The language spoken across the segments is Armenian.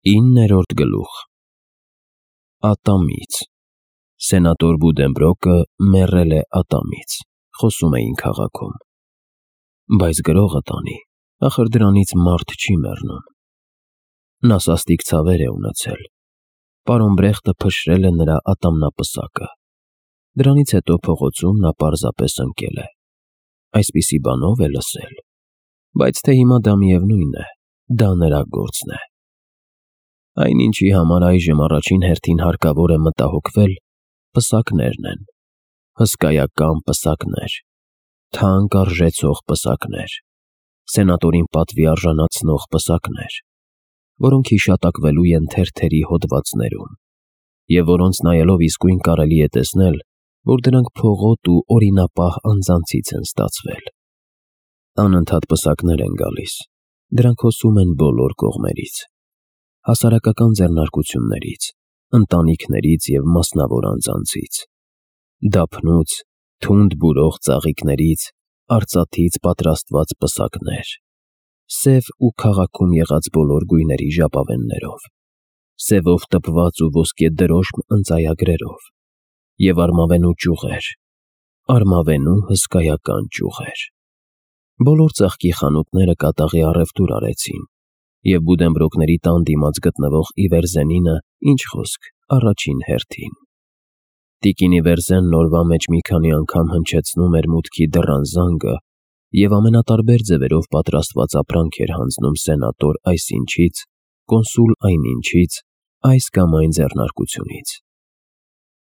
9-րդ գլուխ Ատամից Սենատոր Բուդենբրոկը մեռել է ատամից, խոսում էին քաղաքում։ Բայց գրողը տանի, ախր դրանից մարդ չի մեռնում։ Նա սաստիկ ցավեր է ունեցել։ Պարոն Բրեխտը փշրել է նրա ատամնապսակը։ Դրանից հետո փողոցում նա պարզապես ընկել է։ Այսպիսի բանով է լսել։ Բայց թե հիմա դա միևնույն է, դա նրա գործն է։ Այնինչի համար այժմ առաջին հերթին հարկավոր է մտահոգվել, պսակներն են, հսկայական պսակներ, թանկ արժեցող պսակներ, սենատորին պատվի արժանացնող պսակներ, որոնք հիշատակվելու են թերթերի հոդվածներում, և որոնց նայելով իսկույն կարելի է տեսնել, որ դրանք փողոտ ու օրինապահ անձանցից են ստացվել։ Անընդհատ պսակներ են գալիս, դրանք հոսում են բոլոր կողմերից, հասարակական ձեռնարկություններից, ընտանիքներից և մասնավոր անձանցից, դափնուց, թունդ բուրող ծաղիկներից, արծաթից պատրաստված պսակներ, սև ու քաղաքում եղած բոլոր գույների ժապավեններով, սևով տպված ու ոսկե դրոշմ ընծայագրերով և արմավենու ճյուղեր, արմավենու հսկայական ճյուղեր։ Բոլոր ծաղկի խանութները կատաղի առևտուր արեցին, և Բուդենբրոկների տան դիմաց գտնվող Իվերզենինը, ինչ խոսք, առաջին հերթին։ Տիկին Իվերզենն օրվա մեջ մի քանի անգամ հնչեցնում էր մուտքի դռան զանգը և ամենատարբեր ձևերով պատրաստված ապրանք էր հանձնում սենատոր այսինչից, կոնսուլ այնինչից, այս կամ այն ձեռնարկությունից։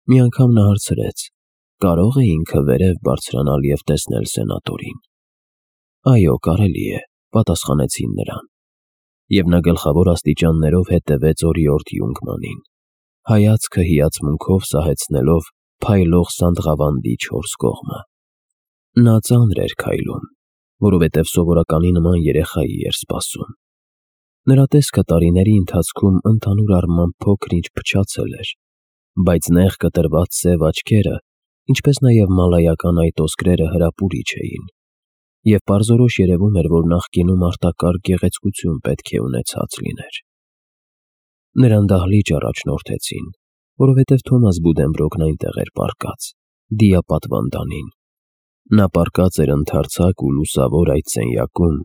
Մի անգամ նա հարցրեց. կարո՞ղ է ինքը վերև բարձրանալ և տեսնել սենատորին։ Այո, կարելի է, պատասխանեցին նրան։ Եվ նա գլխավոր աստիճաններով հետևեց օրիորդ Յունգմանին, հայացքը հիացմունքով սահեցնելով փայլող Սանդղավանդի 4 կողմը։ Նա ծանր էր քայլում, որովհետև սովորականի նման երեխայի էր սպասում։ Նրա տեսքը տարիների ընթացքում ընդհանուր առմամբ փոքր-ինչ փչացել էր, բայց նեղ կտրված սև աչքերը, ինչպես նաև մալայական այտոսկրերը հրապուրիչ էին, և պարզորոշ երևում էր, որ նախկինում արտակարգ գեղեցկություն պետք է ունեցած լիներ։ Նրան դահլիճ առաջնորդեցին, որովհետև Թոմաս Բուդենբրոկն այնտեղ էր պառկած, դիապատվանդանին։ Նա պառկած էր ընդարձակ ու լուսավոր այդ սենյակում,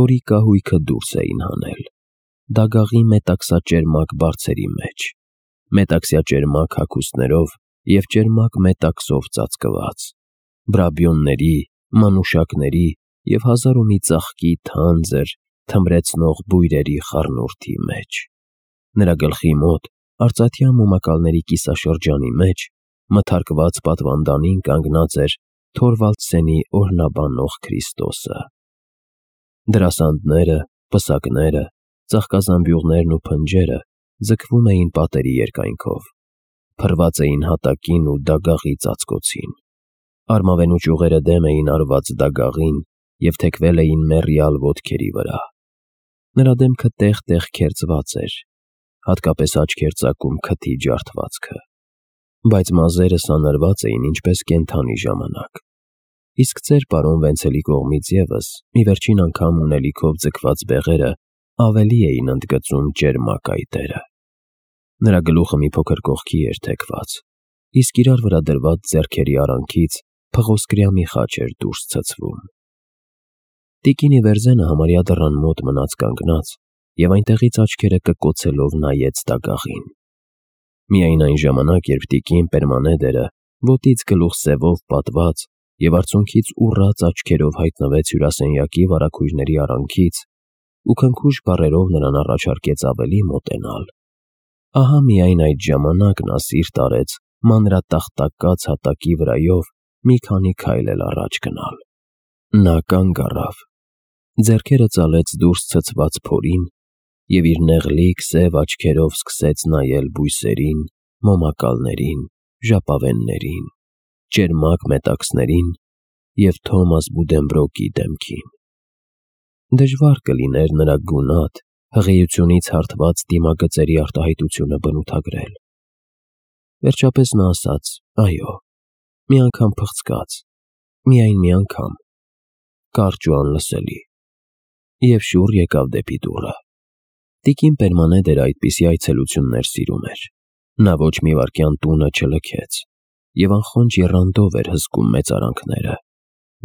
որի կահույքը դուրս էին հանել, դագաղի մետաքսաճերմակ բարձերի մեջ, մետաքսյաճերմակ հագուստներով և ճերմակ մետաքսով ծածկված, բրաբիոնների, մանուշակների և հազար ու մի ծաղկի թանձր, թմրեցնող բույրերի խառնուրդի մեջ։ Նրա գլխի մոտ, արծաթյա մոմակալների կիսաշրջանի մեջ, մթարկված պատվանդանին կանգնած էր Թորվալդսենի օրհնաբանող Քրիստոսը։ Դրասանդները, պսակները, ծաղկազամբյուղներն ու փնջերը ձգվում էին պատերի երկայնքով, փռված էին հատակին ու դագաղի ծածկոցին, արմավենու ճյուղերը դեմ էին արված դագաղին և թեքվել էին մեռյալ ոտքերի վրա։ Նրա դեմքը տեղ-տեղ քերծված էր, հատկապես աչք էր ծակում քթի ջարդվածքը, բայց մազերը սանրված էին ինչպես կենդանի ժամանակ, իսկ ծեր պարոն Վենցելի կողմից ևս մի վերջին անգամ ունելիքով ձգված բեղերը ավելի էին ընդգծում ճերմակ այտերը։ Նրա գլուխը մի փոքր կողքի էր թեքված, իսկ իրար վրա դրված ձեռքերի արանքից փղոսկրյա մի խաչ էր դուրս ցցվում։ Տիկին Իվերզենը համարյա դռան մոտ մնաց կանգնած և այնտեղից աչքերը կկոցելով նայեց դագաղին։ Միայն այն ժամանակ, երբ տիկին Պերմանեդերը ոտից գլուխ սևով պատված և արցունքից ուռած աչքերով հայտնվեց հյուրասենյակի վարագույրների արանքից ու քնքուշ բառերով նրան առաջարկեց ավելի մոտենալ, ահա միայն այդ ժամանակ նա սիրտ արեց մանրատախտակած հատակի վրայով մի քանի քայլ էլ առաջ գնալ։ Նա կանգ առավ, ձեռքերը ծալեց դուրս ցցված փորին և իր նեղլիկ սև աչքերով սկսեց նայել բույսերին, մոմակալներին, ժապավեններին, ճերմակ մետաքսներին և Թոմաս Բուդենբրոկի դեմքին։ Դժվար կլիներ նրա գունատ, հղիությունից հարթված դիմագծերի արտահայտությունը բնութագրել։ Վերջապես նա ասաց. այո, մի անգամ փղցկաց, միայն մի անգամ, կարճ ու անլսելի, և շուռ եկավ դեպի դուռը։ Տիկին Պերմանեդերը այդպիսի այցելություններ սիրում էր։ Նա ոչ մի վայրկյան տունը չլքեց և անխոնջ եռանդով էր հսկում մեծարանքները,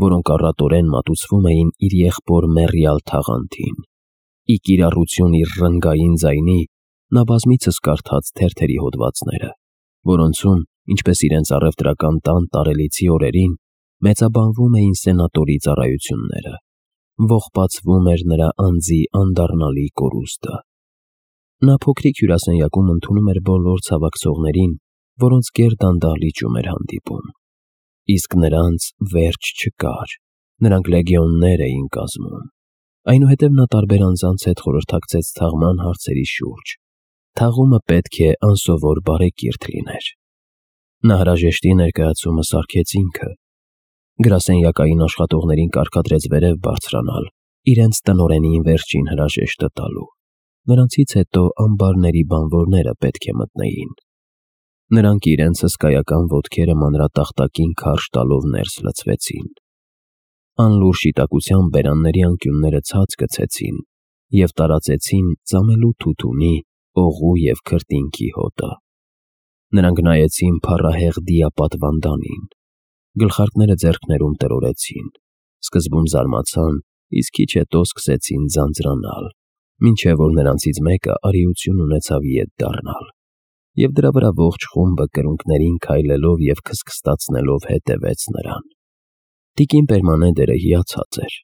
որոնք առատորեն մատուցվում էին իր եղբոր մեռյալ թաղանթին։ Ի կիրառություն իր ռնգային ձայնի նա բազմիցս կարդաց թերթերի հոդվածները, որոնցում, ինչպես իրենց առևտրական տան տարելիցի օրերին, մեծաբանվում էին սենատորի ծառայությունները, ողբացվում էր նրա անձի անդառնալի կորուստը։ Նա փոքրիկ հյուրասենյակում ընդունում էր բոլոր ցավակցողներին, որոնց գերդանդաղ լիճում էր հանդիպում։ Իսկ նրանց վերջ չկար, նրանք լեգիոններ էին կազմում։ Այնուհետև նա տարբեր անձանց հետ խորհրդակցեց թաղման հարցերի շուրջ։ Թաղումը պետք է անսովոր բարեկիրթ լիներ։ Նա հրաժեշտի ներկայացումը սարքեց ինքը։ Գրասենյակային աշխատողներին կարգադրեց վերև բարձրանալ, իրենց տնօրենին վերջին հրաժեշտը տալու։ Նրանցից հետո ամբարների բանվորները պետք է մտնեին։ Նրանք իրենց հսկայական ոտքերը մանրատախտակին քարշ տալով ներս լցվեցին։ Անլուր շիտակությամբ բերանների անկյունները ցած գցեցին և տարածեցին ծամելու թութունի, օղու և քրտինքի հոտը։ Նրանք նայեցին փառահեղ դիապատվանդանին, գլխարկները ձեռքներում տրորեցին, սկզբում զարմացան, իսկ քիչ հետո սկսեցին ձանձրանալ, մինչև որ նրանցից մեկը արիություն ունեցավ ետ դառնալ, և դրա վրա ողջ խումբը կրունկներին քայլելով և քստքստացնելով հետևեց նրան։ Տիկին Պերմանեդերը հիացած էր։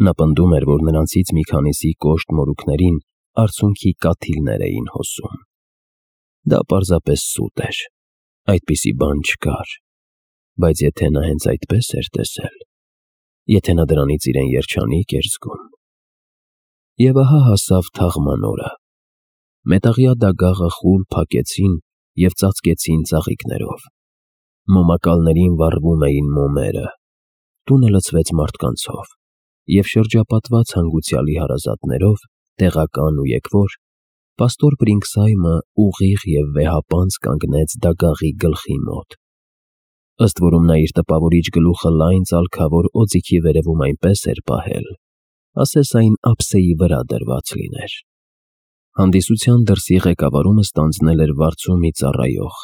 Նա պնդում էր, որ նրանցից մի քանիսի կոշտ մորուքներին արցունքի կաթիլներ էին հոսում։ Դա պարզապես սուտ էր, այդպիսի բան չկար, բայց եթե նա հենց այդպես էր տեսել, եթե նա դրանից իրեն երջանիկ էր զգում։ Եվ ահա հասավ թաղման օրը։ Մետաղյա դագաղը խուլ փակեցին և ծածկեցին ծաղիկներով։ Մոմակալներին վառվում էին մոմերը։ Տունը լցվեց մարդկանցով, և շրջապատված հանգուցյալի հարազատներով, տեղական ու եկվոր, պաստոր Բրինքսհայմը ուղիղ և վեհապանծ կանգնեց դագաղի գլխի մոտ։ Ըստ որում նա իր տպավորիչ գլուխը լայն ծալքավոր օձիքի վերևում այնպես էր պահել, ասես այն ափսեի վրա դրված լիներ։ Հանդիսության դրսի ղեկավարումը ստանձնել էր վարձու մի ծառայող,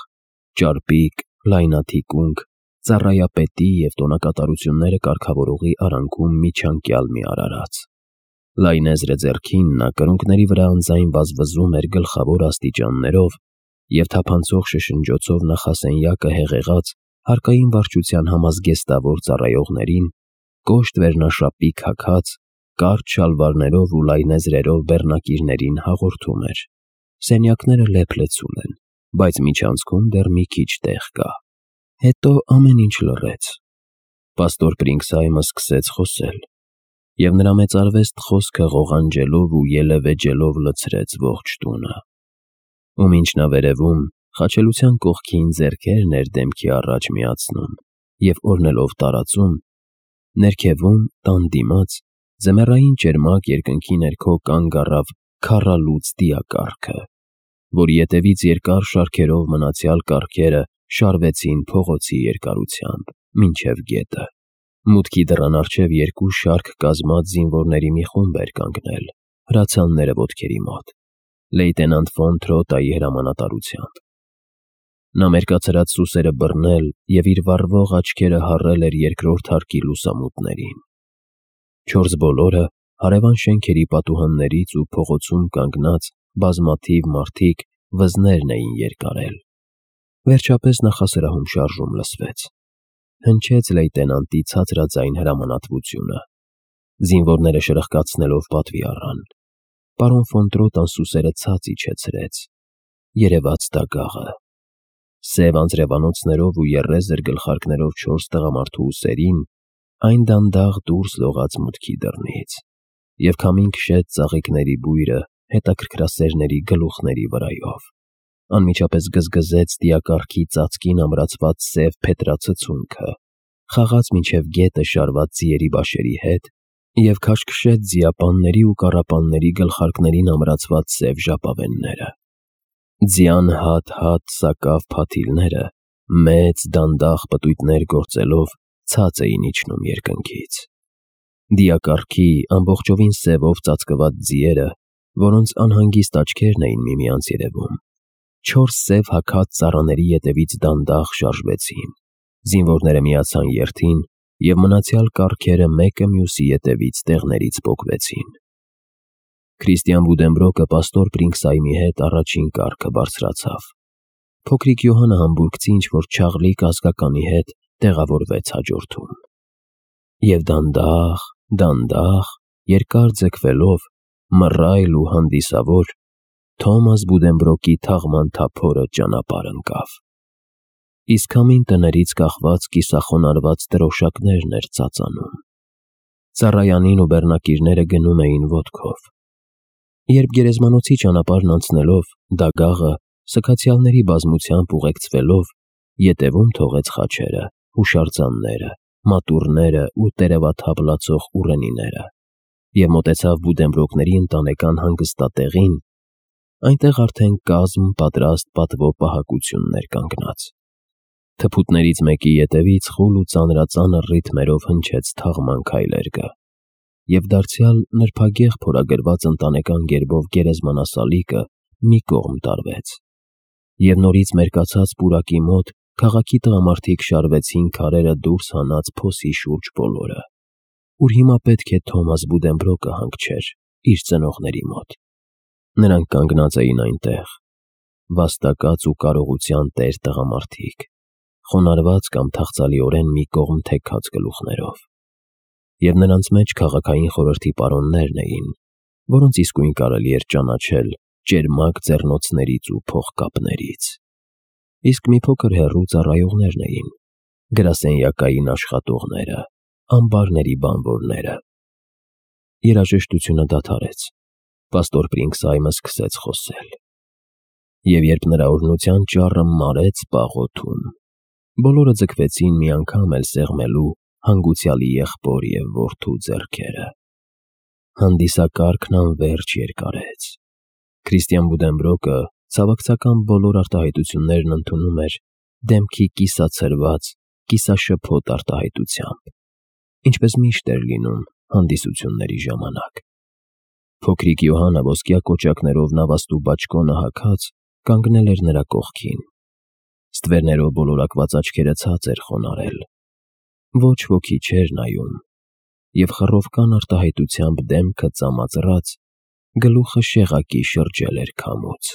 ճարպիկ, լայնաթիկունք, ծառայապետի և տոնակատարությունները կարգավորողի արանքում միջանկյալ մի արարած։ Լայնեզրը ձեռքին նա կրունկների վրա անձայն վազվզում էր գլխավոր աստիճաններով և թափանցող շշնջոցով նախասենյակը հեղեղած հարկային վարչության համազգեստավոր ծառայողներին, կոշտ վերնաշապի քաքած, կարճ շալվարներով ու լայնեզրերով բեռնակիրներին հաղորդում էր. «Սենյակները լեփ-լեցուն են, բայց միջանցքում դեռ մի քիչ տեղ կա»։ Հետո ամեն ինչ լռեց։ Պաստոր Բրինքսհայմը սկսեց խոսել, և նրա մեծարվեստ խոսքը ղողանջելով ու ելևէջելով լցրեց ողջ տունը։ Ում ինքնավերևում խաչելության կողքին ձեռքերն էր դեմքի առաջ միացնում և օրնելով տարածում, ներքևում, տան դիմաց, ձմեռային ճերմակ երկնքի ներքո կանգ առավ քառալուծ դիակառքը, որի ետևից երկար շարքերով մնացյալ կառքերը շարվեցին փողոցի երկարությամբ մինչև գետը։ Մուտքի դռան առջև երկու շարք կազմած զինվորների մի խումբ էր կանգնել, հրացանները ոտքերի մոտ, լեյտենանտ ֆոն Թրոտայի հրամանատարությամբ։ Նա մերկացրած սուսերը բռնել և իր վառվող աչքերը հառել էր երկրորդ հարկի լուսամուտներին։ Չորս բոլորը հարևան շենքերի պատուհաններից ու փողոցում կանգնած բազմաթիվ մարդիկ վզներն էին երկարել։ Վերջապես նախասրահում շարժում լսվեց։ Հնչեց լեյտենանտի ցածրաձայն հրամանատվությունը։ Զինվորները շրխկացնելով պատվի առան։ Պարոն ֆոն Տրոտան սուսերը ցած իջեցրեց։ Երևաց դագաղը։ Սև անձրևանոցներով ու եռեզր գլխարկներով 4 տղամարդու ուսերին այն դանդաղ դուրս լողաց մուտքի դռնից, և քամին քշեց ծաղիկների բույրը հետաքրքրասերների գլուխների վրայով, անմիջապես գզգզեց դիակառքի ծածկին ամրացված սև փետրածծունքը, խաղաց մինչև գետը շարված ձիերի բաշերի հետ և քաշքշեց ձիապանների ու կառապանների գլխարկներին ամրացված սև ժապավենները։ Ձյան հատ-հատ սակավ փաթիլները, մեծ դանդաղ պտույտներ գործելով, ցած էին իջնում երկնքից։ Դիակառքի ամբողջովին սևով ծածկված ձիերը որոնց անհանգիստ աչքերն էին միմյանց երևում։ 4 սև հագած ծառաների ետևից դանդաղ շարժվեցին, զինվորները միացան երթին և մնացյալ կառքերը մեկը մյուսի ետևից տեղներից պոկվեցին։ Քրիստիան Վուդենբրոկը պաստոր Պրինքսայմի հետ առաջին կառքը բարձրացավ։ Փոքրիկ Յոհանը համբուրգցի ինչ-որ չաղլիկ ազգականի հետ տեղավորվեց հաջորդում։ Եվ դանդաղ, երկար ձգվելով, մռայլ ու հանդիսավոր, Թոմաս Վուդենբրոկի թաղման թափորը ճանապարհ ընկավ։ Իսկ քամին տներից կախված կիսախոնարհված դրոշակներն էր ծածանում։ Ծառայանին ու բեռնակիրները գնում էին ոտքով։ Երբ գերեզմանոցի ճանապարհն անցնելով, դագաղը, սքացյալների բազմությամբ ուղեկցվելով, ետևում թողեց խաչերը, հուշարձանները, մատուռները ու տերևաթափ լացող ուռենիները և մոտեցավ Վուդենբրոկների ընտանեկան հանգստատեղին, այնտեղ արդեն կազմ պատրաստ պատվո պահակություններ կանգնած։ Թփուտներից մեկի ետևից խուլ ու ծանրածանր ռիթմերով հնչեց թաղման քայլերգը, և դարձյալ նրբագեղ փորագրված ընտանեկան գերբով գերեզմանասալիկը մի կողմ տարվեց, և նորից մերկացած պուրակի մոտ քաղաքի տղամարդիկ շարվեցին քարերը դուրս հանած փոսի շուրջ բոլորը, ուր հիմա պետք է Թոմաս Վուդենբրոկը հանգչեր իր ծնողների մոտ։ Նրանք կանգնած էին այնտեղ, վաստակած ու կարողության տեր տղամարդիկ, խոնարհված կամ թախծալիորեն մի կողմ թեքած գլուխներով, և նրանց մեջ քաղաքային խորհրդի պարոններն էին, որոնց իսկույն կարելի էր ճանաչել ճերմակ ձեռնոցներից ու փողկապներից, իսկ մի փոքր հեռու ծառայողներն էին, գրասենյակային աշխատողները, ամբարների բանվորները։ Երաժշտությունը դադարեց, պաստոր Պրինքսայմը սկսեց խոսել։ Եվ երբ նրա օրհնության ճառը մարեց պաղոթում, բոլորը ձգվեցին մի անգամ էլ սեղմելու հանգուցյալի եղբոր և որդու ձեռքերը։ Հանդիսակարգն անվերջ երկարեց։ Քրիստիան Վուդենբրոկը ցավակցական բոլոր արտահայտություններն ընդունում էր դեմքի կիսացրված, կիսաշփոթ արտահայտությամբ, ինչպես միշտ էր լինում հանդիսությունների ժամանակ։ Փոքրիկ Յոհանը ոսկյա կոճակներով նավաստու բաճկոնը հագած կանգնել էր նրա կողքին։ Ստվերներով բոլորակված աչքերը ցած էր խոնարհել։ Ոչ ոքի չէր նայում, և խռովկան արտահայտությամբ դեմքը ծամածռած, գլուխը շեղակի շրջել էր քամուց։